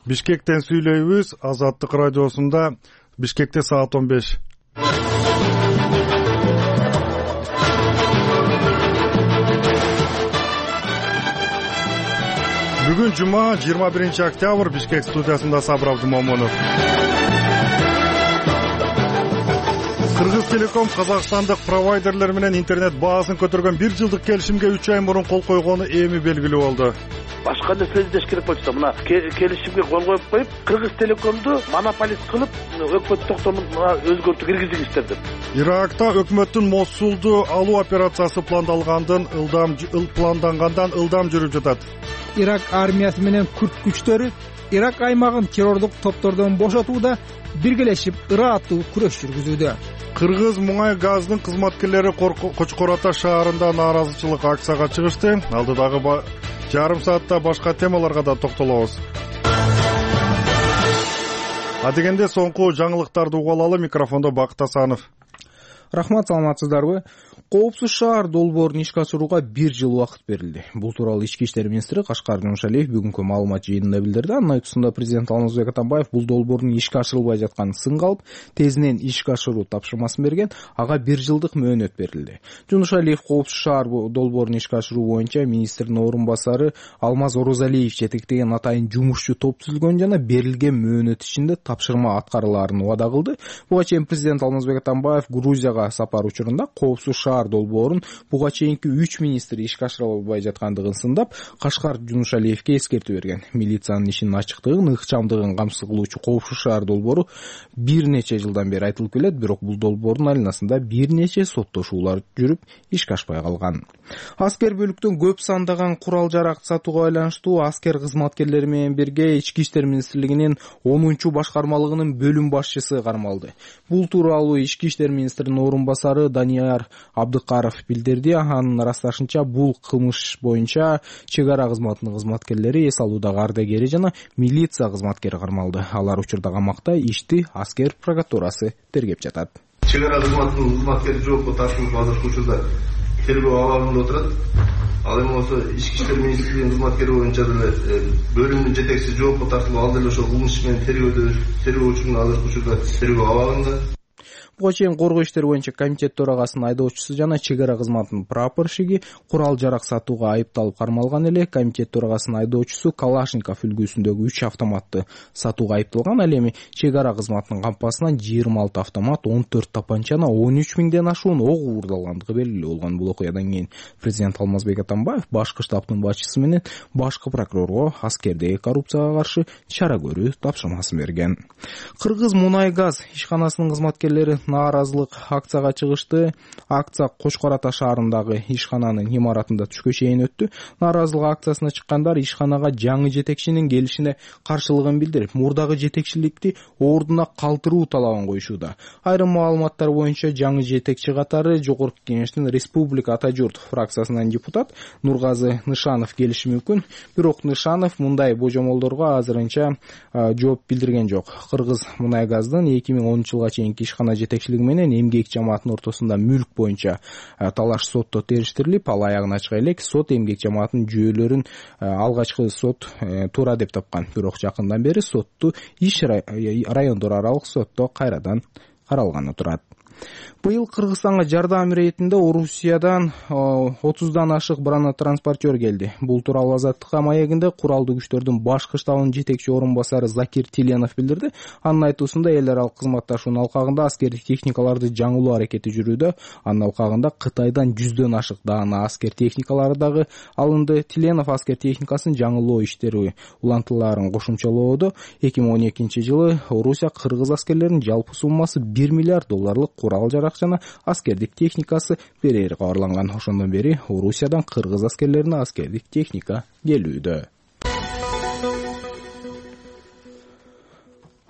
Бишкектен сүйлөйбүз. Азаттык радиосунда Бишкекте саат 15. Бүгүн жума 21 октябрь. Бишкек студиясында Сабыр Абдымомунов. Кыргыз Телеком казакстандык провайдерлер менен интернет баасын көтөргөн 1 жылдык келишимге 3 ай мурун кол койгону эми белгилүү болду. Башка нерсе издеш керек болчу да, мына келишимге кол коюп коюп, Кыргыз Телекомду монополист кылып, өкмөт токтомун өзгөртүп киргизик иштер. Иракта өкмөттүн Мосулду алуу операциясы пландангандан ылдам жүрүп жатат. Ирак армиясы менен күрд күчтөрү Ирак аймагын террордук топтордон бошотууда биргелешип ырааттуу күрөш жүргүзүүдө. Кыргыз муңай газдын кызматкерлери Кочкор Ата шаарында нааразычылык акцияга чыгышты. Алдыдагы жарым саатта башка темаларга да токтолобуз. Адегенде соңку жаңылыктарды угуп алалы. Микрофондо Бакыт Асанов. Рахмат, саламатсыздарбы? Коопсуз шаар долбоорун ишке ашырууга 1 жыл убакыт берилди. Бул тууралуу Ички иштер министри Кашкар Жумшалиев бүгүнкү маалымат жыйынында билдирди. Анын айтуусунда президент Алмазбек Атамбаев бул долбоордун ишке ашырылбай жатканын сынга алып, тезинен ишке ашыруу тапшырмасын берген, ага 1 жылдык мөөнөт берилди. Жумшалиев коопсуз шаар долбоорун ишке ашыруу боюнча министрдин орун басары Алмаз Орозалиев жетектеген атайын жумушчу топ түзүлгөн жана берилген мөөнөт ичинде тапшырма аткарылаарын убада кылды. Буга чейин президент Алмазбек Атамбаев Грузияга сапар учурунда коопсуз шаар долбоорун буга чейинки 3 министр ишке ашыра албай жаткандыгын сындап, Кашкар Жумшалиевке эскертүү берген. Милициянын ишинин ачыктыгын, ыкчамдыгын камсыз кылуучу коопсуз шаар долбоору бир нече жылдан бери айтылып келет, бирок бул долбоордун айланасында бир нече соттошуулар жүрүп, ишке ашпай калган. Аскер бөлүктөн көп сандаган курал жарак сатууга байланыштуу аскер кызматкерлери менен бирге Ички иштер министрлигинин 10-чу башкармалыгынын бөлүм башчысы кармалды. Бул тууралуу Ички иштер министринин орун басары Данияр Абдыкаров билдирди. Анын ырасташынча, бул кылмыш боюнча чек ара кызматынын кызматкерлери, эс алуудагы ардагери жана милиция кызматкери кармалды. Алар учурда камакта, ишти аскер прокуратурасы тергеп жатат. Чек ара кызматынын кызматкери жоопко тартылып азыркы учурда тергөө абагында отурат. Ал эми болсо Ички иштер министрлигинин кызматкери боюнча деле бөлүмдүн жетекчиси жоопко тартылып, ал деле ошол кылмыш менен тергөө учурунун азыркы учурда тергөө абагында. Буга чейин коргоо иштери боюнча комитет төрагасынын айдоочусу жана чек ара кызматынын прапорщиги курал жарак сатууга айыпталып кармалган эле. Комитет төрагасынын айдоочусу Калашников үлгүсүндөгү 3 автоматты сатууга айыпталган. Ал эми чек ара кызматынын кампасынан 26 автомат, 14 тапанча, 13 миңден ашуун ок уурдалгандыгы белгилүү болгон. Бул окуядан кийин президент Алмазбек Атамбаев башкы штабтын башчысы менен башкы прокурорго аскердеги коррупцияга каршы чара көрүү тапшырмасын берген. Кыргыз мунай газ ишканасынын кызматкерлери нааразылык акцияга чыгышты. Акция Кочкор Ата шаарындагы ишкананын имаратында түшкө чейин өттү. Нааразылык акциясына чыккандар ишканага жаңы жетекчинин келишине каршылыгын билдирип, мурдагы жетекчиликти ордуна калтыруу талабын коюшууда. Айрым маалыматтар боюнча жаңы жетекчи катары Жогорку Кеңештин Республика Ата журт фракциясынан депутат Нургазы Нышанов келиши мүмкүн. Бирок Нышанов мындай божомолдорго азырынча жооп билдирген жок. Кыргыз мунай газдын 2010-жылга чейинки ишкана жетекчилиги менен эмгек жамаатынын ортосунда мүлк боюнча талаш сотто териштирилип, ал аягына чыга элек. Сот эмгек жамаатынын жүйөлөрүн алгачкы сот туура деп тапкан. Бирок жакындан бери сотту иш райондор аралык сотто кайрадан каралганы турат. Быйыл Кыргызстанга жардам иретинде Орусиядан 30дан ашык бронетранспортер келди. Бул тууралуу Азаттыкка маегинде куралдуу күчтөрдүн башкы штабынын жетекчи орун басары Закир Тиленов билдирди. Анын айтуусунда эл аралык кызматташуунун алкагында аскердик техникаларды жаңылоо аракети жүрүүдө. Анын алкагында Кытайдан 100дөн ашык даана аскер техникалары дагы алынды. Тиленов аскер техникасын жаңылоо иштери улантыларын кошумчалоодо 2012-жылы Орусия кыргыз аскерлеринин жалпы суммасы $1 миллиард курал жарак жана аскердик техникасы берери кабарланган. Ошондон бери Орусиядан кыргыз аскерлерине аскердик техника келүүдө.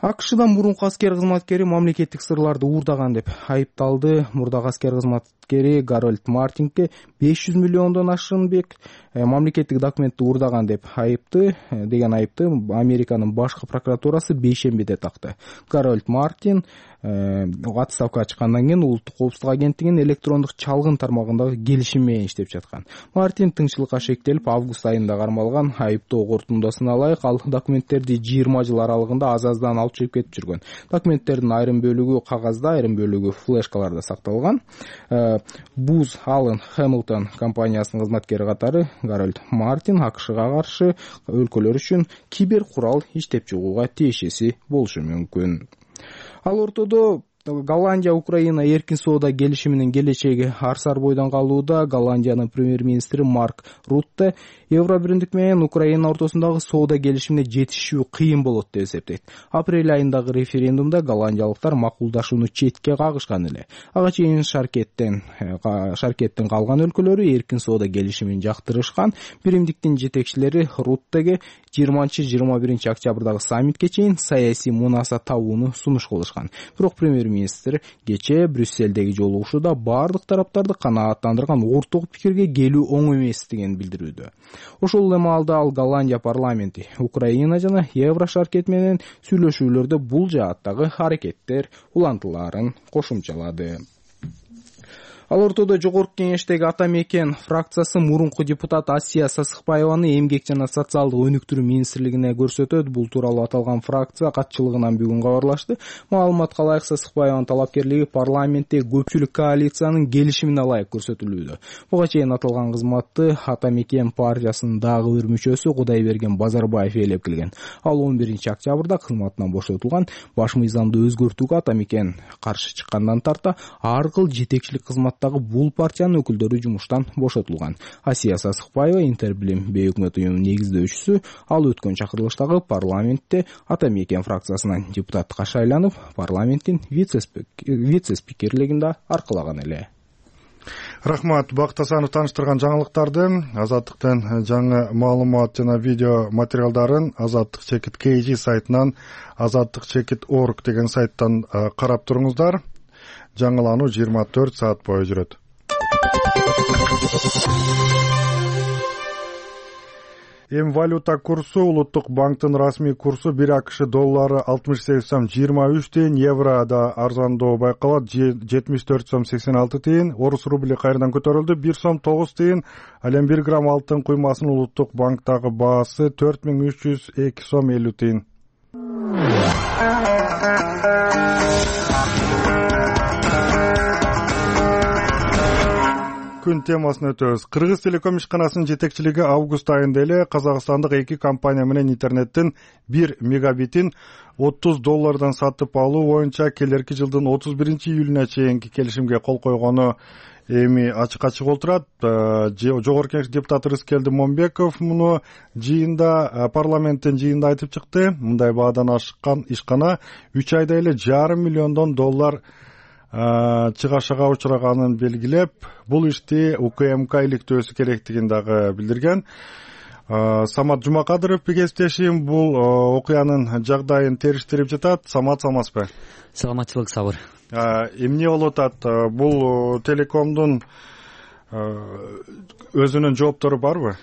АКШда мурунку аскер кызматкери мамлекеттик сырларды уурдаган деп айыпталды. Мурдагы аскер кызматкери Гарольд Мартинге 500 миллиондон ашык мамлекеттик документти уурдаган деп айыпты Американын башкы прокуратурасы бейшембиде такты. Гарольд Мартин отставкага чыккандан кийин улуттук коопсуздук агенттигинин электрондук чалгын тармагындагы келишим менен иштеп жаткан. Мартин тыңчылыкка шектелип август айында кармалган. Айыптоо корутундусуна ылайык ал документтерди 20 жыл аралыгында азаздан алып чыгып кетип жүргөн. Документтердин айрым бөлүгү кагазда, айрым бөлүгү флешкаларда сакталган. Booz Allen Hamilton компаниясынын кызматкери катары Гарольд Мартин АКШга каршы өлкөлөр үчүн кибер курал иштеп чыгууга тиешеси болушу мүмкүн. Ал ортодо Голландия Украина эркин соода келишиминин келечеги арсар бойдон калууда. Голландиянын премьер-министри Марк Рутте Евро биримдик менен Украина ортосундагы соода келишимине жетишүү кыйын болот деп эсептейт. Апрель айындагы референдумда голландиялыктар макулдашууну четке кагышкан эле. Ага чейин шаркеттин калган өлкөлөрү эркин соода келишимин жактырышкан. Биримдиктин жетекчилери Руттеге 20-21 октябрдагы саммитке чейин саясий мунаса табууну сунуш кылышкан. Бирок премьер-министр кечээ Брюсселдеги жолугушууда бардык тараптарды канааттандырган орток пикирге келүү оң эместигин билдирүүдө. Ошол эле маалда ал Голландия парламенти Украина жана Евро шаркет менен сүйлөшүүлөрдө бул жааттагы аракеттер улантылаарын кошумчалады. Ал ортодо жогорку кеңештеги Ата Мекен фракциясы мурунку депутат Асия Сасыкбаеваны эмгек жана социалдык өнүктүрүү министрлигине көрсөтөт. Бул тууралуу аталган фракция катчылыгынан бүгүн кабарлашты. Маалыматка ылайык Сасыкбаеванын талапкерлиги парламентте көпчүлүк коалициянын келишимине ылайык көрсөтүлүүдө. Буга чейин аталган кызматты Ата Мекен партиясынын дагы бир мүчөсү Кудайберген Базарбаев ээлеп келген. Ал 11 октябрда кызматынан бошотулган. Баш мыйзамды өзгөртүүгө Ата Мекен каршы чыккандан тарта ар кыл жетекчилик кызмат бул партиянын өкүлдөрү жумуштан бошотулган. Асия Сасыкбаева Интербилим бейөкмөт уюмунун негиздөөчүсү. Ал өткөн чакырылыштагы парламентте Ата Мекен фракциясынан депутатка шайланып, парламенттин вице-спикерлигин да аркалаган эле. Рахмат, Бакыт Асанов тааныштырган жаңылыктарды. Азаттыктын жаңы маалымат жана видео материалдарын azattik.kg сайтынан azattik.org деген сайттан карап туруңуздар. Жаңылануу 24 саат бою жүрөт. Валюта курсу улуттук банктын расмий курсу 1 АКШ доллары 68 сом 23 тиын, еврода арзандоо байкалат 74 сом 86 тиын, орус рубли кайрадан көтөрүлдү 1 сом 9 тиын, ал эми 1 грамм алтын куймасынын улуттук банктагы баасы 4302 сом 50 тиын. Күн темасына өтөбүз. Кыргыз телеком ишканасынын жетекчилиги август айында эле казакстандык 2 компания менен интернеттин 1 мегабитин $30 сатып алуу боюнча келерки жылдын 31-июлуна чейинки келишимге кол койгону эми ачык болуп турат. Жогорку Кеңеш депутаты Рыскелди Момбеков муну парламенттин жыйынында айтып чыкты. Мындай баадан ашкан ишкана 3 айда эле $500 миллион чыгашага учураганын белгилеп, бул ишти УКМК иликтөөсү керектигин дагы билдирген. Самат Жумакадыров кесиптешим бул окуянын жагдайын териштирип жатат. Самат, саламатсызбы? Саламатчылык, Сабыр. Эмне болуп атат? Бул телекомдун өзүнүн жооптору барбы?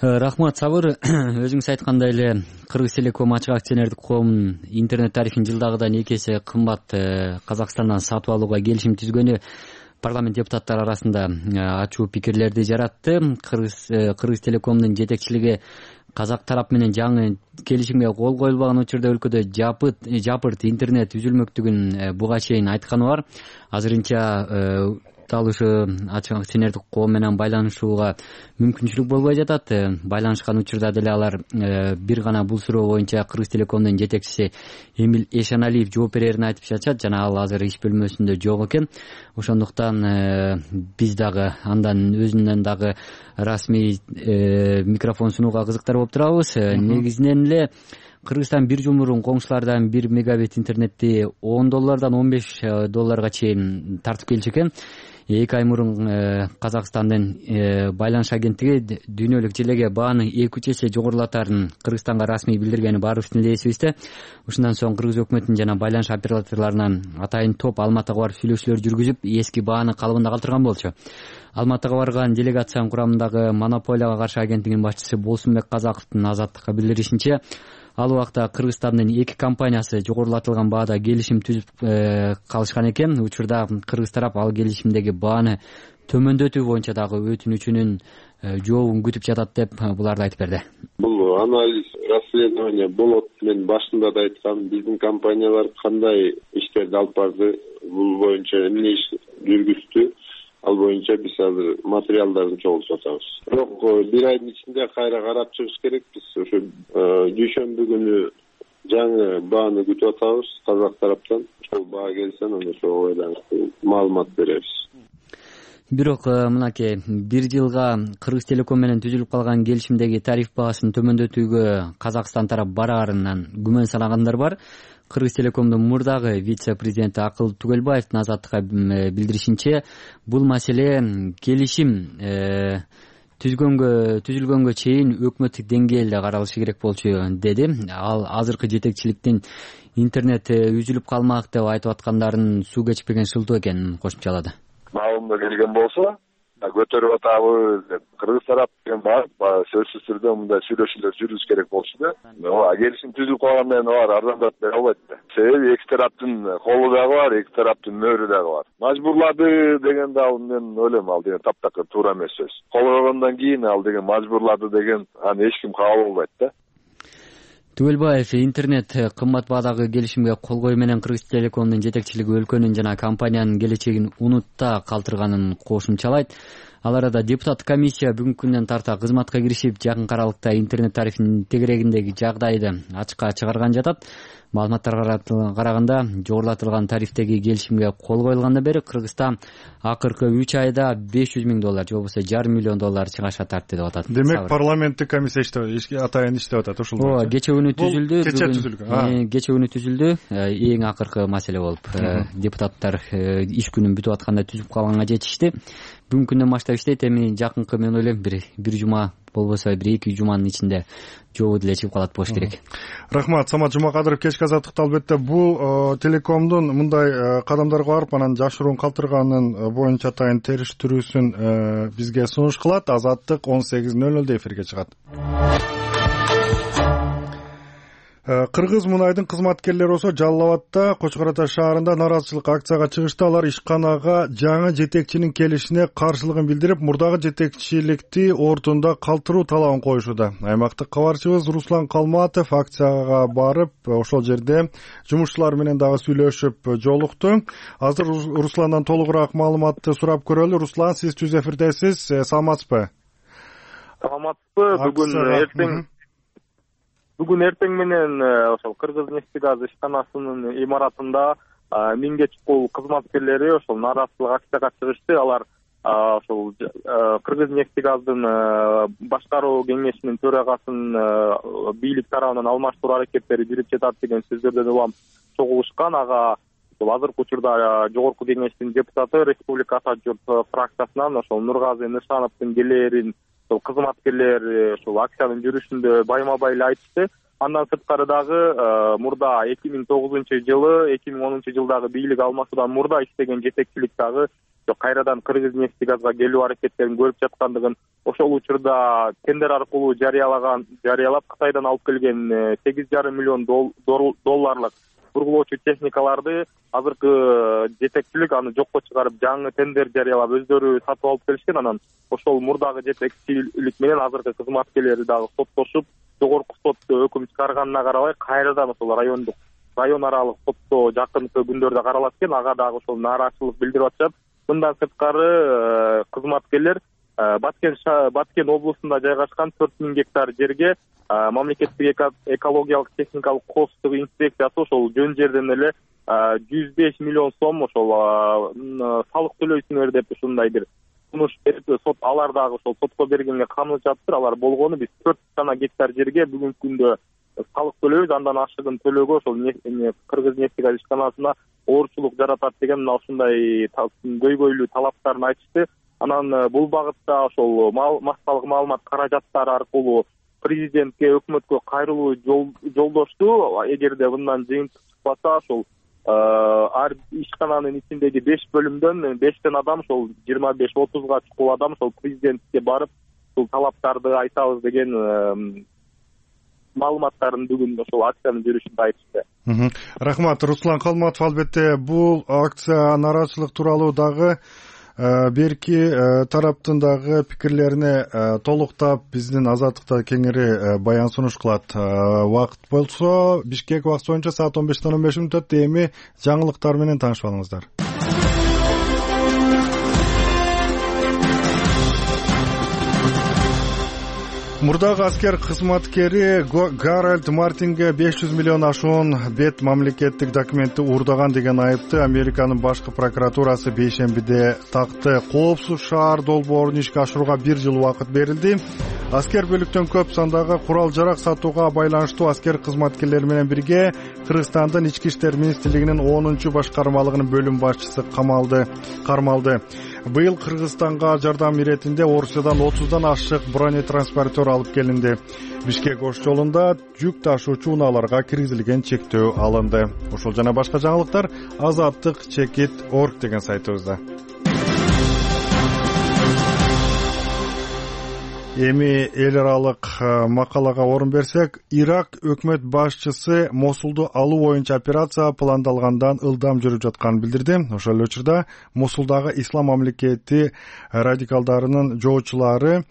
Рахмат, Сабыр. Өзүңүз айткандай эле Кыргыз телеком ачык акционердик коомунун интернет тарифин жылдагыдан 2 эсе кымбат Казакстандан сатып алууга келишим түзгөнү парламент депутаттары арасында ачуу пикирлерди жаратты. Кыргыз телекомдун жетекчилиги казак тарап менен жаңы келишимге кол коюлбаган учурда өлкөдө жапырт интернет үзүлмөктүгүн буга чейин айтканы бар. Азырынча дал ушу ачык акционердик коом менен байланышууга мүмкүнчүлүк болбой жатат. Байланышкан учурда деле алар бир гана бул суроо боюнча Кыргыз телекомдун жетекчиси Эмил Эшаналиев жооп берерин айтып жатышат жана ал азыр иш бөлмөсүндө жок экен. Ошондуктан биз дагы андан өзүнөн дагы расмий микрофон сунууга кызыктар болуп турабыз. Негизинен эле Кыргызстан бир жыл мурун коңшулардан 1 мегабит интернетти $10 $15 чейин тартып келчү экен. 2 ай мурун Казакстандын байланыш агенттиги дүйнөлүк желеге бааны 2-3 эсе жогорулатарын Кыргызстанга расмий билдиргени баарыбыздын эле эсибизде. Ушундан соң Кыргыз өкмөтүнүн жана байланыш операторлорунан атайын топ Алматыга барып сүйлөшүүлөр жүргүзүп, эски бааны калыбында калтырган болчу. Алматыга барган делегациянын курамындагы монополияга каршы агенттигинин башчысы Болсунбек Казаковдун Азаттыкка билдиришинче, ал убакта Кыргызстандын 2 компаниясы жогорулатылган баада келишим түзүп калышкан экен. Учурда Кыргыз тарап ал келишимдеги бааны төмөндөтүү боюнча дагы өтүнүчүнүн жообун күтүп жатат деп буларды айтып берди. Бул анализ, расследование болот. Мен башында да айткам, биздин компаниялар кандай иштерди алып барды, бул боюнча эмне иш жүргүздү, ал боюнча биз азыр материалдарды чогултуп атабыз. Бирок 1 айдын ичинде кайра карап чыгыш керек. Биз ошо дүйшөмбү күнү жаңы бааны күтүп атабыз казак тараптан. Ошол баа келсе, аны ошого байланыштуу маалымат беребиз. Бирок мынакей 1 жылга Кыргыз Телеком менен түзүлүп калган келишимдеги тариф баасын төмөндөтүүгө Казакстан тарап бараарынан күмөн санагандар бар. Кыргыз Телекомдун мурдагы вице-президенти Акыл Түгөлбаевдин Азаттыкка билдиришинче, бул маселе келишим түзүлгөнгө чейин өкмөттүк деңгээлде каралышы керек болчу деди. Ал азыркы жетекчиликтин интернет үзүлүп калмак деп айтып аткандарын суу кечпеген шылтоо экенин кошумчалады. Маалымда келген болсо, көтөрүп атабыз деп Кыргыз тарап деген бар, сөзсүз түрдө мындай сүйлөшүүлөр жүрүш керек болчу да. Келишим түзүлүп калган менен алар арзандатып бере албайт да. Себеби эки тараптын колу дагы бар, эки тараптын мөөрү дагы бар. Мажбурлады дегенде ал мен ойлойм, ал деген таптакыр туура эмес сөз. Кол койгондон кийин ал деген мажбурлады деген аны эч ким кабыл албайт да. Түгөлбаев интернет кымбат баадагы келишимге кол коюу менен Кыргыз Телекомдун жетекчилиги өлкөнүн жана компаниянын келечегин унутта калтырганын кошумчалайт. Ал арада депутаттык комиссия бүгүнкү күндөн тарта кызматка киришип, жакын аралыкта интернет тарифинин тегерегиндеги жагдайды ачыкка чыгарган жатат. Маалыматтарга караганда, жогорулатылган тарифтеги келишимге кол коюлгандан бери Кыргызстан акыркы 3 айда $500,000 же болбосо $500 миллион чыгашка тартты деп атат. Демек парламенттик комиссия атайын иштеп атат ушул. Кече күнү түзүлдү. Кече күнү түзүлдү. Эң акыркы маселе болуп, депутаттар иш күнүн бүтүп атканда түзүп калганга жетишти. Бүгүнкү күндөн баштап иштейт. Эми жакынкы мен ойлойм бир жума болбосо 1-2 жуманын ичинде жообу деле чыгып калат болуш керек. Рахмат, Самат Жумакадыров. Кечки азаттыкта албетте бул Телекомдун мындай кадамдарга барып, анан жашыруун калтырганын боюнча атайын териштирүүсүн бизге сунуш кылат. Азаттык 18:00 эфирге чыгат. Кыргыз мунайдын кызматкерлери болсо Жалал Абадда, Кочкор Ата шаарында нааразычылык акцияга чыгышты. Алар ишканага жаңы жетекчинин келишине каршылыгын билдирип, мурдагы жетекчиликти ордунда калтыруу талабын коюшууда. Аймактык кабарчыбыз Руслан Калматов акцияга барып, ошол жерде жумушчулар менен дагы сүйлөшүп жолукту. Азыр Русландан толугураак маалыматты сурап көрөлү. Руслан, сиз түз эфирдесиз. Саламатсызбы? Саламатсызбы. Бүгүн эртең менен ошол Кыргыз нефтегаз ишканасынын имаратында 1000 чукул кызматкерлери ошол нааразычылык акцияга чыгышты. Алар ошол Кыргыз нефтегаздын башкаруу кеңешинин төрагасын бийлик тарабынан алмаштыруу аракеттери жүрүп жатат деген сөздөрдөн улам чогулушкан. Ага азыркы учурда жогорку кеңештин депутаты Республика Ата журт фракциясынан ошол Нургазы Нышановдун келээрин кызматкерлер ушул акциянын жүрүшүндө байма-бай эле айтышты. Андан сырткары дагы мурда 2009-жылы, 2010-жылдагы бийлик алмашуудан мурда иштеген жетекчилик дагы кайрадан Кыргыз нефтегазга келүү аракеттерин көрүп жаткандыгын, ошол учурда тендер аркылуу жарыялап Кытайдан алып келген $8,5 миллион долларлык бургулоочу техникаларды азыркы жетекчилик аны жокко чыгарып, жаңы тендер жарыялап өздөрү сатып алып келишкен. Анан ошол мурдагы жетекчилик менен азыркы кызматкерлери дагы соттошуп, жогорку сот өкүм чыгарганына карабай кайрадан ошол район аралык сотто жакынкы күндөрдө каралат экен. Ага дагы ошол нааразычылык билдирип атышат. Мындан сырткары кызматкерлер Баткен облусунда жайгашкан 4000 гектар жерге мамлекеттик экологиялык техникалык коопсуздук инспекциясы ошол жөн жерден эле 105 миллион сом ошол салык төлөйсүңөр деп ушундай бир сунуш берип, сот алар дагы ошол сотко бергенге камыл жатыптыр. Алар болгону биз 4 гектар жерге бүгүнкү күндө салык төлөйбүз, андан ашыгын төлөөгө ошол кыргыз нефтегаз ишканасына оорчулук жаратат деген мына ушундай көйгөйлүү талаптарын айтышты. Анан бул багытта ошол массалык маалымат каражаттары аркылуу президентке, өкмөткө кайрылуу жолдошту. Эгерде мындан жыйынтык чыкпаса, ошол ар ишкананын ичиндеги 5 бөлүмдөн 5тен адам, ошол 25-30га чукул адам ошол президентке барып, ушул талаптарды айтабыз деген маалыматтарын бүгүн ошол акциянын жүрүшүндө айтышты. Рахмат, Руслан Калматов. Албетте бул акция нараачылык тууралуу дагы берки тараптын дагы пикирлерине толуктап биздин Азаттыкта кеңири баян сунуш кылат. Убакыт болсо Бишкек убакыты боюнча саат 15:15 эми жаңылыктар менен таанышып алыңыздар. Мурдагы аскер кызматкери Гарольд Мартинге 500 миллион ашуун бет мамлекеттик документти уурдаган деген айыпты Американын башкы прокуратурасы бейшембиде такты. Коопсуз шаар долбоорун ишке ашырууга 1 жыл убакыт берилди. Аскер бөлүктөн көп сандагы курал жарак сатууга байланыштуу аскер кызматкерлери менен бирге Кыргызстандын Ички иштер министрлигинин 10-чу башкармалыгынын бөлүм башчысы кармалды. Быйыл Кыргызстанга жардам иретинде Орусиядан 30дан ашык бронетранспортер алып келинди. Бишкек Ош жолунда жүк ташуучу унааларга киргизилген чектөө алынды. Ошол жана башка жаңылыктар azattik.org деген сайтыбызда. Эми эл аралык макалага орун берсек, Ирак өкмөт башчысы Мосулду алуу боюнча операция пландалгандан ылдам жүрүп жатканын билдирди. Ошол эле учурда Мосулдагы ислам мамлекети радикалдарынын жоочулары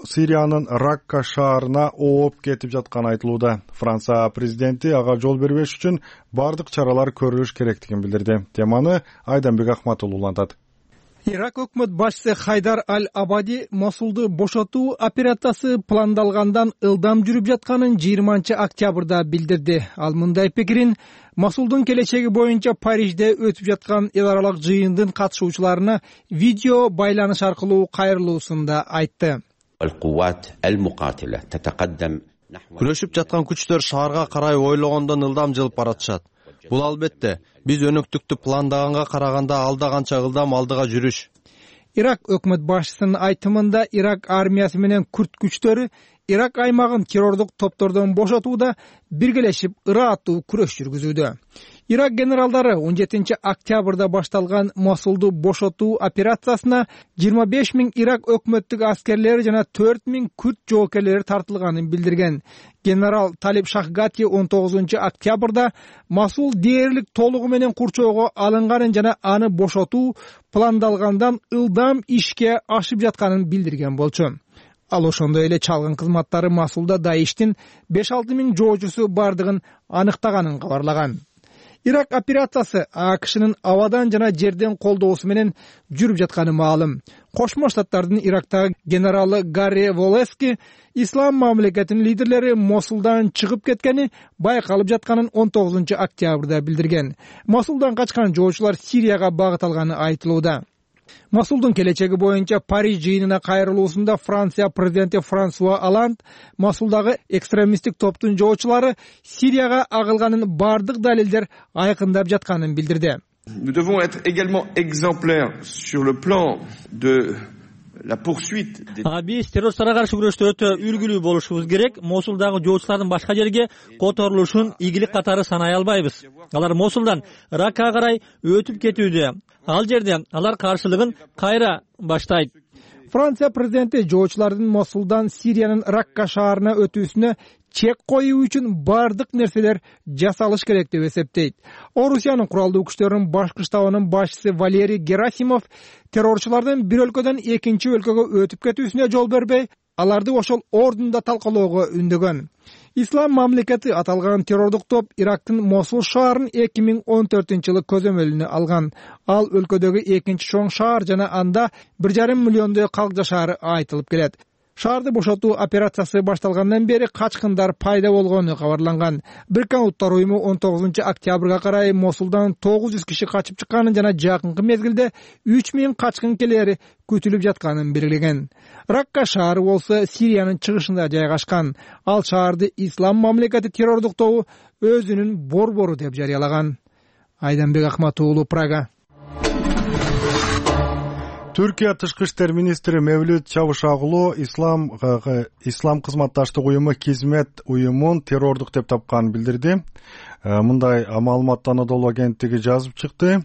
Сириянын Ракка шаарына ооп кетип жатканы айтылууда. Франция президенти ага жол бербеш үчүн бардык чаралар көрүлүш керектигин билдирди. Теманы Айданбек Ахматуллу улантат. Ирак өкмөт башчысы Хайдар Аль-Абади Мосулду бошотуу операциясы пландалгандан ылдам жүрүп жатканын 20-октябрда билдирди. Ал мындай пикирин Мосулдун келечеги боюнча Парижде өтүп жаткан эл аралык жыйындын катышуучуларына видео байланыш аркылуу кайрылуусунда айтты. Күрөшүп жаткан күчтөр шаарга карай ойлогондон ылдам жылып баратышат. Бул албетте биз өнөктүктү пландаганга караганда алда канча ылдам алдыга жүрүш. Ирак өкмөт башчысынын айтымында Ирак армиясы менен күрд күчтөрү Ирак аймагын террордук топтордон бошотууда биргелешип ырааттуу күрөш жүргүзүүдө. Ирак генералдары 17-октябрда башталган Мосулду бошотуу операциясына 25 000 Ирак өкмөттүк аскерлери жана 4 000 күрд жоокерлери тартылганын билдирген. Генерал Талиб Шахгати 19-октябрда Мосул дээрлик толугу менен курчоого алынганын жана аны бошотуу пландалгандан ылдам ишке ашып жатканын билдирген болчу. Ал ошондой эле чалгын кызматтары Мосулда Даиштин 5-6 000 жоочусу бардыгын аныктаганын кабарлаган. Ирак операциясы АКШнын абадан жана жерден колдоосу менен жүрүп жатканы маалым. Кошмо Штаттардын Ирактагы генералы Гарри Волески ислам мамлекетинин лидерлери Мосулдан чыгып кеткени байкалып жатканын 19-октябрда билдирген. Мосулдан качкан жоочулар Сирияга багыт алганы айтылууда. Мосулдун келечеги боюнча Париж жыйынына кайрылуусунда Франция президенти Франсуа Оланд Мосулдагы экстремисттик топтун жоочулары Сирияга агылганын бардык далилдер айкындап жатканын билдирди. Nous devons être également exemplaires sur le plan de la poursuite des... Биз террористтарга каршы күрөштө өтө үлгүлүү болушубуз керек. Мосулдагы жоочулардын башка жерге которулушун ийгилик катары санай албайбыз. Алар Мосулдан Раккага карай өтүп кетүүдө. Ал жерде алар каршылыгын кайра баштайт. Франция президенти жоочулардын Мосулдан Сириянын Ракка шаарына өтүүсүнө чек коюу үчүн бардык нерселер жасалыш керек деп эсептейт. Орусиянын куралдуу күчтөрүнүн башкы штабынын башчысы Валерий Герасимов террорчулардын бир өлкөдөн экинчи өлкөгө өтүп кетүүсүнө жол бербей, аларды ошол ордунда талкалоого үндөгөн. Ислам мамлекети аталган террордук топ Ирактын Мосул шаарын 2014-жылы көзөмөлүнө алган. Ал өлкөдөгү экинчи чоң шаар жана анда 1,5 миллиондой калк жашаары айтылып келет. Шаарды бошотуу операциясы башталгандан бери качкындар пайда болгону кабарланган. Бириккен Улуттар уюму 19 октябрга карай Мосулдан 900 киши качып чыкканын жана жакынкы мезгилде 3000 качкынкелер күтүлүп жатканын белгилеген. Ракка шаары болсо Сириянын чыгышында жайгашкан. Ал шаарды Ислам мамлекети террордуктоо өзүнүн борбору деп жарыялаган. Айданбек Акмат уулу, Прага. Түркия тышкы иштер министри Мевлют Чавушоглу ислам кызматташтык уюму Кизмет уюмун террордук деп тапканын билдирди. Мындай маалыматты Анадолу агенттиги жазып чыкты.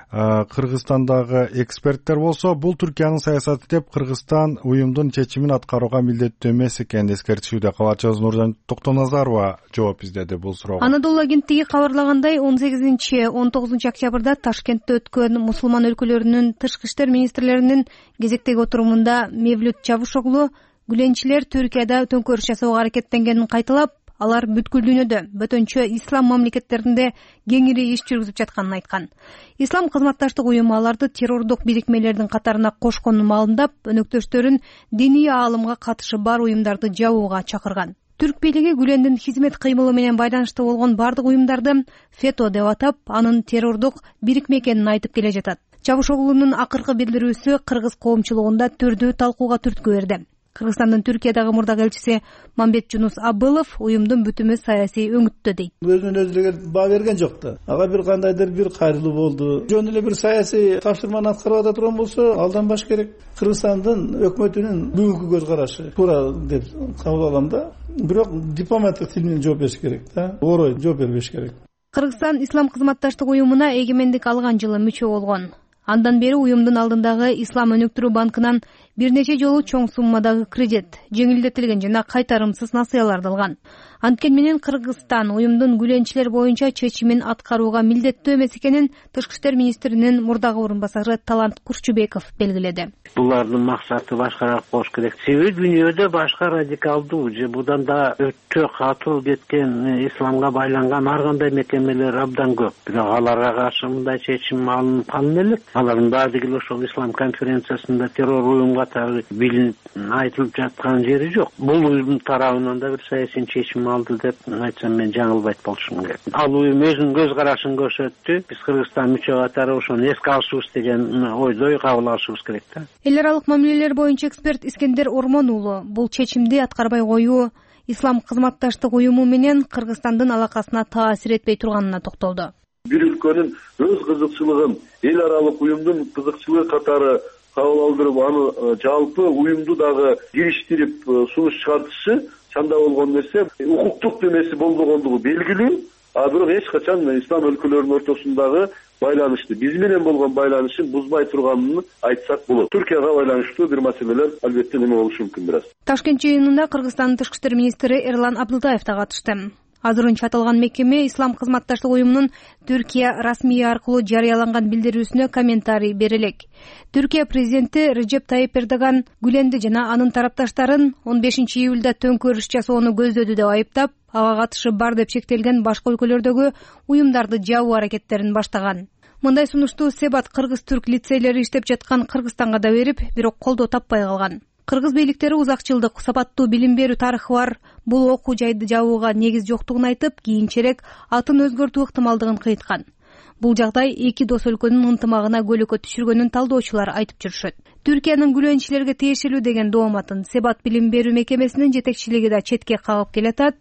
Кыргызстандагы эксперттер болсо, бул Түркиянын саясаты деп Кыргызстан уюмдун чечимин аткарууга милдеттүү эмес экенин эскертишүүдө. Кабарчыбыз Нуржан Токтоназарова жооп издеди бул суроого. Анадолу агенттиги кабарлагандай, 18-19 октябрда Ташкентте өткөн мусулман өлкөлөрүнүн тышкы иштер министрлеринин кезектеги отурумунда Мевлют Чавушоглу гүленчилер Түркияда төңкөрүш жасоого аракеттенгенин кайталап, алар бүткүл дүйнөдө бөтөнчө ислам мамлекеттеринде кеңири иш жүргүзүп жатканын айткан. Ислам кызматташтык уюму аларды террордук бирикмелердин катарына кошконун маалымдап, өнөктөштөрүн диний аалымга катышы бар уюмдарды жабууга чакырган. Түрк бийлиги Гүлендин хизмет кыймылы менен байланыштуу болгон бардык уюмдарды ФЕТО деп атап, анын террордук бирикме экенин айтып келе жатат. Чавушоглунун акыркы билдирүүсү кыргыз коомчулугунда түрдүү талкууга түрткү берди. Кыргызстандын Түркиядагы мурдагы элчиси Мамбет Жунус Абылов уюмдун бүтүмү саясий өңүттө дейт. Өзүнөн өзү баа берген жок да. Ага бир кандайдыр бир кайрылуу болду. Жөн эле бир саясий тапшырманы аткарып ата турган болсо, алданбаш керек. Кыргызстандын өкмөтүнүн бүгүнкү көз карашы туура деп кабыл алам да. Бирок дипломаттык тил менен жооп бериш керек да. Орой жооп бербеш керек. Кыргызстан ислам кызматташтык уюмуна эгемендик алган жылы мүчө болгон. Андан бери уюмдун алдындагы Ислам өнүктүрүү банкынан бир нече жолу чоң суммадагы кредит, жеңилдетилген жана кайтарымсыз насыяларды алган. Анткени менен Кыргызстан уюмдун гүленчилер боюнча чечимин аткарууга милдеттүү эмес экенин тышкы иштер министринин мурдагы орун басары Талант Курчубеков белгиледи. Булардын максаты башкараак болуш керек. Себеби дүйнөдө башка радикалдуу же будан да өтө катуу кеткен исламга байланган ар кандай мекемелер абдан көп. Бирок аларга каршы мындай чечим алынып калын элек. Алардын баардыгы ошол ислам конференциясында террор уюм катары билинип айтылып жаткан жери жок. Бул уюмдун тарабынан да бир саясий чечим алды деп айтсам мен жаңылбайт болушум керек. Ал уюм өзүнүн көз карашын көрсөттү. Биз Кыргызстан мүчө катары ошону эске алышыбыз деген ойдой кабыл алышыбыз керек да. Эл аралык мамилелер боюнча эксперт Искендер Ормон уулу бул чечимди аткарбай коюу ислам кызматташтык уюму менен Кыргызстандын алакасына таасир этпей турганына токтолду. Бир өлкөнүн өз кызыкчылыгын эл аралык уюмдун кызыкчылыгы катары кабыл алдырып, аны жалпы уюмду дагы кириштирип сунуш чыгартышы чанда болгон нерсе. Укуктук эмеси болбогондугу белгилүү, а бирок эч качан ислам өлкөлөрүнүн ортосундагы байланышты, биз менен болгон байланышын бузбай турганын айтсак болот. Түркияга байланыштуу бир маселелер албетте неме болушу мүмкүн бир аз. Ташкент жыйынында Кыргызстандын тышкы иштер министри Эрлан Абдылдаев да катышты. Азырынча аталган мекеме ислам кызматташтык уюмунун Түркия расмий аркылуу жарыяланган билдирүүсүнө комментарий бере элек. Түркия президенти Режеп Тайип Эрдоган Гүленди жана анын тарапташтарын 15 июлда төңкөрүш жасоону көздөдү деп айыптап, ага катышы бар деп шектелген башка өлкөлөрдөгү уюмдарды жабуу аракеттерин баштаган. Мындай сунушту Себат кыргыз-түрк лицейлери иштеп жаткан Кыргызстанга да берип, бирок колдоо таппай калган. Кыргыз бийликтери узак жылдык сапаттуу билим берүү тарыхы бар бул окуу жайды жабууга негиз жоктугун айтып, кийинчерээк атын өзгөртүү ыктымалдыгын кыйткан. Бул жагдай эки дос өлкөнүн ынтымагына көйлөккө түшүргөнүн талдоочулар айтып жүрүшөт. Түркиянын гүленчилерге тиешелүү деген дооматын Себат билим берүү мекемесинин жетекчилиги да четке кагып келатат.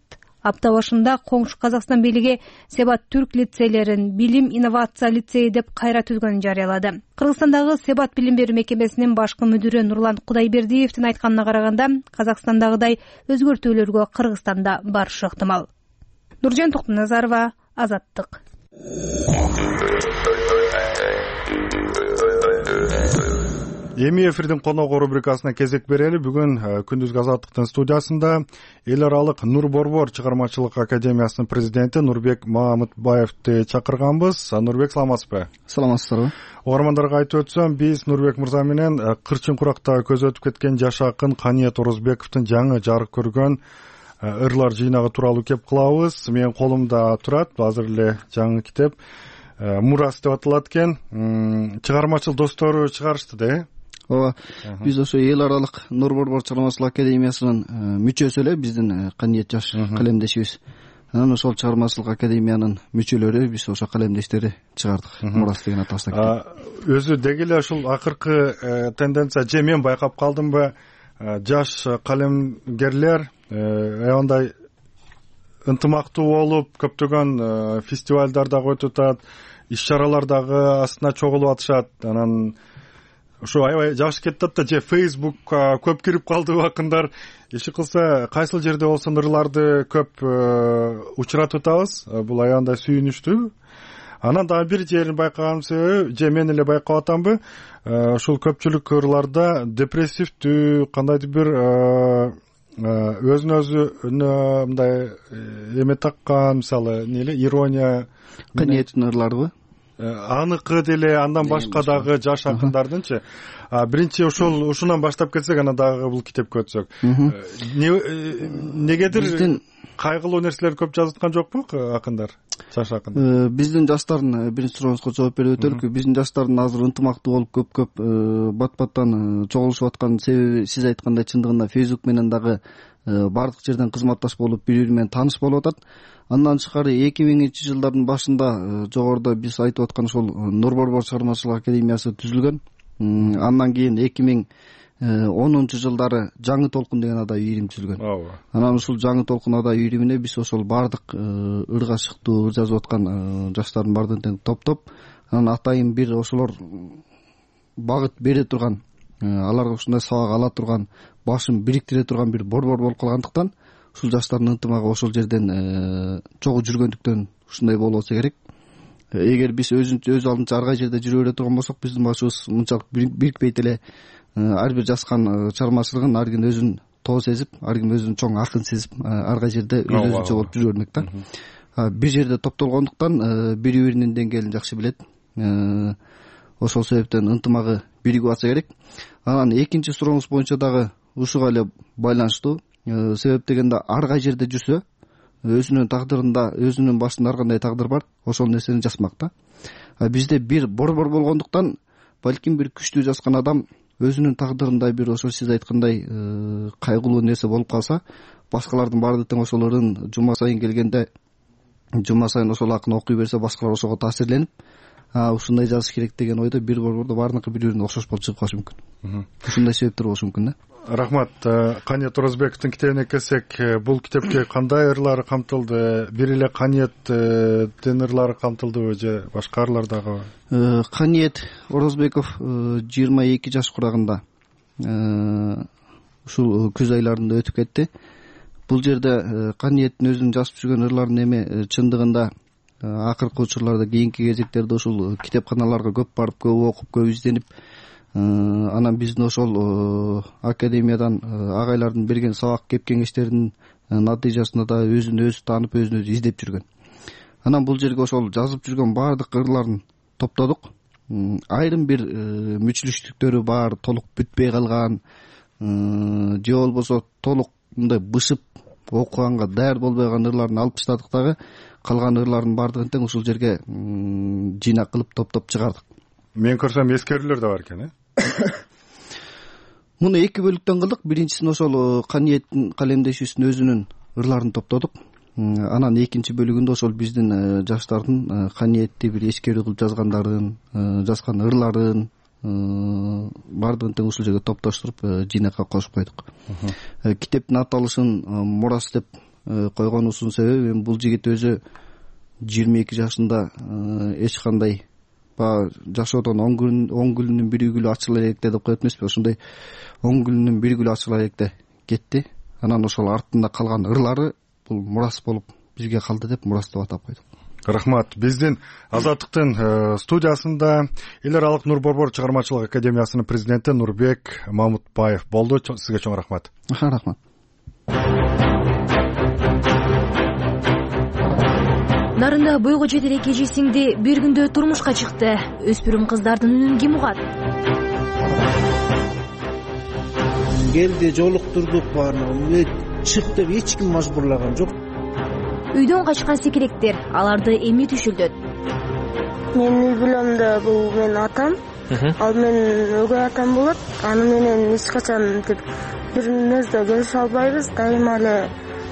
Апта башында коңшу Казакстан бийлиги Себат түрк лицейлерин билим инновация лицейи деп кайра түзгөнүн жарыялады. Кыргызстандагы Себат билим берүү мекемесинин башкы мүдүрү Нурлан Кудайбердиевдин айтканына караганда, Казакстандагыдай өзгөртүүлөргө Кыргызстанда барышы ыктымал. Нуржан Токтоназарова, Азаттык. Эми эфирдин коногу рубрикасына кезек берели. Бүгүн күндүзгү Азаттыктын студиясында эл аралык Нур Борбор чыгармачылык академиясынын президенти Нурбек Мамытбаевди чакырганбыз. Нурбек, саламатсызбы? Саламатсыздарбы. Угармандарга айтып өтсөм, биз Нурбек мырза менен Кырчын Куракта көз өтүп кеткен жаш акын Каниет Орозбековдун жаңы жарык көргөн ырлар жыйнагы тууралуу кеп кылабыз. Менин колумда турат, азыр эле жаңы китеп Мурас деп аталат экен. Чыгармачыл достору чыгарышты да. ооба, биз ошо эл аралык Нур Борбор чыгармачылык академиясынын мүчөсү эле биздин Каниет жаш калемдешибиз. Анан ошол чыгармачылык академиянын мүчөлөрү биз ошо калемдештери чыгардык. Мурас деген атабыздан. Өзү деги эле ушул акыркы тенденция же мен байкап калдымбы, жаш калемгерлер аябай ынтымактуу болуп, көптөгөн фестивалдардагы өтүп атат, иш-чаралар дагы астына чогулуп атышат. Анан ушу аябай жакшы кетип атат да, же Facebookка көп кирип калдыбы акындар. Иши кылса кайсыл жерде болсун ырларды көп учуратып атабыз. Бул аябай сүйүнүчтүү. Анан дагы бир жерин байкаган себеби, же мен эле байкап атамбы, ушул көпчүлүк ырларда депрессивдүү, кандайдыр бир өзүнө өзү мындай эме таккан, мисалы, ирония, Каниеттин ырларыбы? Аныкы деле, андан башка дагы жаш акындардынчы. Биринчи ушунан баштап кетсек, анан дагы бул китепке өтсөк. Негедир кайгылуу нерселер көп жазып аткан жокпу акындар, жаш акындар? Биздин жаштардын биринчи сурооңузга жооп берип өтөлүкпү. Биздин жаштардын азыр ынтымактуу болуп көп бат-баттан чогулушуп аткан себеби, сиз айткандай, чындыгында Facebook менен дагы бардык жерден кызматташ болуп, бири-бири менен тааныш болуп атат. Андан тышкары 2000-жылдардын башында жогоруда биз айтып аткан ошол Нур Борбор чыгармачылык академиясы түзүлгөн. Андан кийин 2010-жылдары Жаңы толкун деген адай үйрүм түзүлгөн. Анан ушул Жаңы толкун адай үйрүмүнө биз ошол бардык ырга шыктуу, ыр жазып аткан жаштардын баардыгын топтоп, анан атайын бир ошолор багыт бере турган, аларга ушундай сабак ала турган, башын бириктире турган бир борбор болуп калгандыктан, ушул жаштардын ынтымагы ошол жерден чогуу жүргөндүктөн ушундай болуп атса керек. Эгер биз өз алдынча ар кай жерде жүрө бере турган болсок, биздин башыбыз мынчалык бирикпейт эле. Ар бир жазган чыгармачылыгын ар ким өзүн тоо сезип, ар ким өзүн чоң акын сезип, ар кай жерде өзүнчө болуп жүрө бермек да. Бир жерде топтолгондуктан бири-биринин деңгээлин жакшы билет. Ошол себептен ынтымагы биригип атса керек. Анан экинчи сурооңуз боюнча дагы ушуга эле байланыштуу. Себеп дегенде, ар кай жерде жүрсө, өзүнүн тагдырында, өзүнүн башында ар кандай тагдыр бар, ошол нерсени жазмак да. Бизде бир борбор болгондуктан, балким бир күчтүү жазган адам өзүнүн тагдырында бир ошо сиз айткандай кайгылуу нерсе болуп калса, башкалардын баары тең ошол ырын жума сайын келгенде, жума сайын ошол акын окуй берсе, башкалар ошого таасирленип, ушундай жазыш керек деген ойдо бир борбордо баарыныкы бири-бирине окшош болуп чыгып калышы мүмкүн. Ушундай себептер болушу мүмкүн да. Рахмат. Каниет Оразбековдун китебине келсек, бул китепке кандай ырлар камтылды? Бир эле Каниеттин ырлары камтылдыбы же башка ырлар дагы? Каниет Оразбеков 22 жаш курагында ушул күз айларында өтүп кетти. Бул жерде Каниеттин өзүнүн жазып жүргөн ырларын эми чындыгында акыркы учурларда, кийинки кезектерде ушул китепканаларга көп барып, көп окуп, көп изденип, анан биздин ошол академиядан агайлардын берген сабак кеп кеңештеринин натыйжасында да өзүн өзү таанып, өзүн өзү издеп жүргөн. Анан бул жерге ошол жазып жүргөн баардык ырларын топтодук. Айрым бир мүчүлүштүктөрү бар, толук бүтпөй калган, же болбосо толук мындай бышып окуганга даяр болбой калган ырларын алып таштадык дагы, калган ырлардын баардыгын тең ушул жерге жыйнак кылып топтоп чыгардык. Мен көрсөм эскерүүлөр да бар экен, Муну эки бөлүктөн кылдык. Биринчисин ошол Каниеттин калемдешүүсүнүн өзүнүн ырларын топтодук. Анан экинчи бөлүгүндө ошол биздин жаштардын Каниетти бир эскерүү кылып жазгандарын, жазган ырларын баардыгын тең ушул жерге топтоштуруп жыйнакка кошуп койдук. Китептин аталышын Мурас деп койгонубуздун себеби, бул жигит өзү 22 жашында эч кандай жашоодон 10 күнүнүн бир гүлү ачыла электе деп коет эмеспи, ошондой 10 күнүнүн бир гүлү ачыла электе кетти. Анан ошол артында калган ырлары бул Мурас болуп бизге калды деп Мурас деп атап койдук. Рахмат. Биздин Азаттыктын студиясында эл аралык Нур Борбор чыгармачылык академиясынын президенти Нурбек Мамутбаев болду. Сизге чоң рахмат. Рахмат. Нарында бойго жетер эки эжесиңди бир күндө турмушка чыкты. Өспүрүм кыздардын үнүн ким угат? Келди, жолуктурдук баарын. Чык деп эч ким мажбурлаган жок. Үйдөн качкан секиректер, аларды эми түшүлдөт? Мен үй бүлөмдө бул менин атам, ал менин өгөй атам болот. Аны менен эч качан мынтип бир нерсе келише албайбыз. Дайыма эле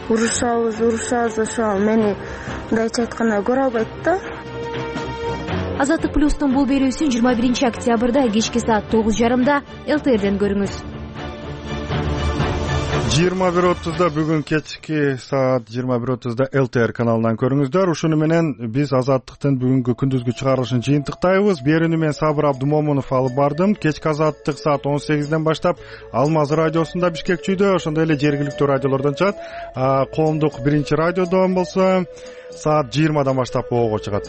урушабыз. Ошо мени мындайча айтканда көрө албайт да. Азаттык плюстун бул берүүсүн 21 октябрда кечки саат 9:30 ЛТРден көрүңүз. 21:30 бүгүн кечки саат 21:30 ЛТР каналынан көрүңүздөр. Ушуну менен биз Азаттыктын бүгүнкү күндүзгү чыгарылышын жыйынтыктайбыз. Берүүнү мен Сабыр Абдумомунов алып бардым. Кечки Азаттык саат 18ден баштап Алмаз радиосунда Бишкекчүйдө, ошондой эле жергиликтүү радиолордон чыгат. Коомдук биринчи радиодон болсо саат 20дан баштап ого чыгат.